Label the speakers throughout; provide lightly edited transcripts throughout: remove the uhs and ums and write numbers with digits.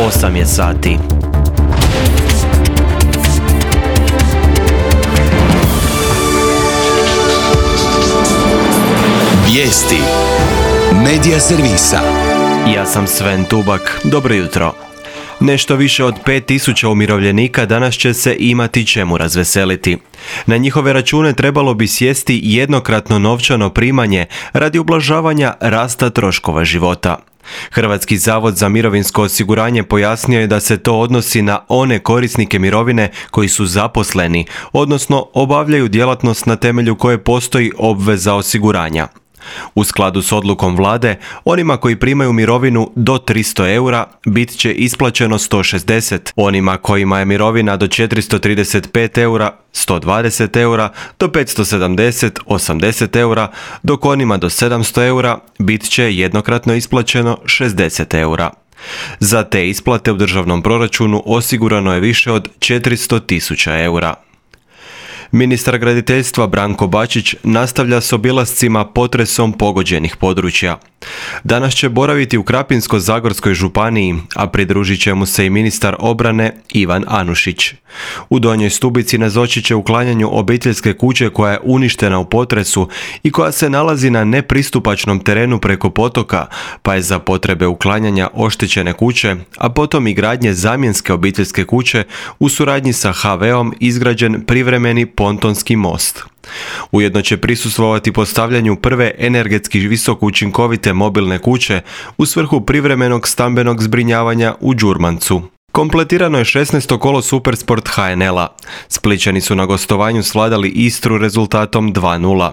Speaker 1: 8 je sati.
Speaker 2: Vijesti Medija servisa.
Speaker 1: Ja sam Sven Tubak. Dobro jutro. Nešto više od 5000 umirovljenika danas će se imati čemu razveseliti. Na njihove račune trebalo bi sjesti jednokratno novčano primanje radi ublažavanja rasta troškova života. Hrvatski zavod za mirovinsko osiguranje pojasnio je da se to odnosi na one korisnike mirovine koji su zaposleni, odnosno obavljaju djelatnost na temelju koje postoji obveza osiguranja. U skladu s odlukom vlade, onima koji primaju mirovinu do 300 eura bit će isplaćeno 160, onima kojima je mirovina do 435 eura 120 eura, do 570, 80 eura, dok onima do 700 eura bit će jednokratno isplaćeno 60 eura. Za te isplate u državnom proračunu osigurano je više od 400.000 eura. Ministar graditeljstva Branko Bačić nastavlja s obilascima potresom pogođenih područja. Danas će boraviti u Krapinsko-zagorskoj županiji, a pridružit će mu se i ministar obrane Ivan Anušić. U Donjoj Stubici nazočit će uklanjanju obiteljske kuće koja je uništena u potresu i koja se nalazi na nepristupačnom terenu preko potoka, pa je za potrebe uklanjanja oštećene kuće, a potom i gradnje zamjenske obiteljske kuće u suradnji sa HV-om izgrađen privremeni pontonski most. Ujedno će prisustvovati postavljanju prve energetski visoko učinkovite mobilne kuće u svrhu privremenog stambenog zbrinjavanja u Đurmancu. Kompletirano je 16. kolo Supersport HNL-a. Splićani su na gostovanju svladali Istru rezultatom 2:0.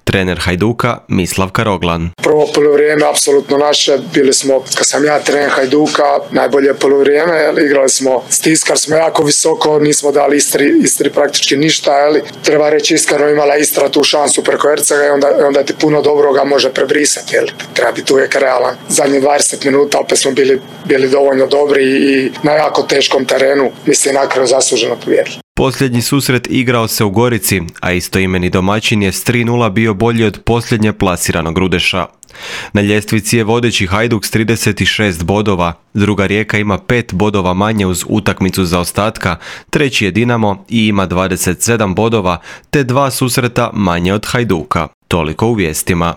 Speaker 1: Trener Hajduka Mislav Karoglan.
Speaker 3: Prvo poluvrijeme apsolutno naše, bili smo, kad sam ja trener Hajduka, najbolje poluvrijeme, igrali smo, stiskali smo jako visoko, nismo dali Istri praktički ništa, treba reći iskreno, imala Istra tu šansu preko Ercega i onda ti puno dobroga može prebrisati, treba biti uvijek realan. Zadnjih 20 minuta opet smo bili dovoljno dobri i na jako teškom terenu, mislim, na kraju zasluženo pobijedili.
Speaker 1: Posljednji susret igrao se u Gorici, a istoimeni domaćin je s 3:0 bio bolji od posljednje plasiranog Rudeša. Na ljestvici je vodeći Hajduk s 36 bodova, druga Rijeka ima 5 bodova manje uz utakmicu zaostatka, treći je Dinamo i ima 27 bodova, te 2 susreta manje od Hajduka. Toliko u vijestima.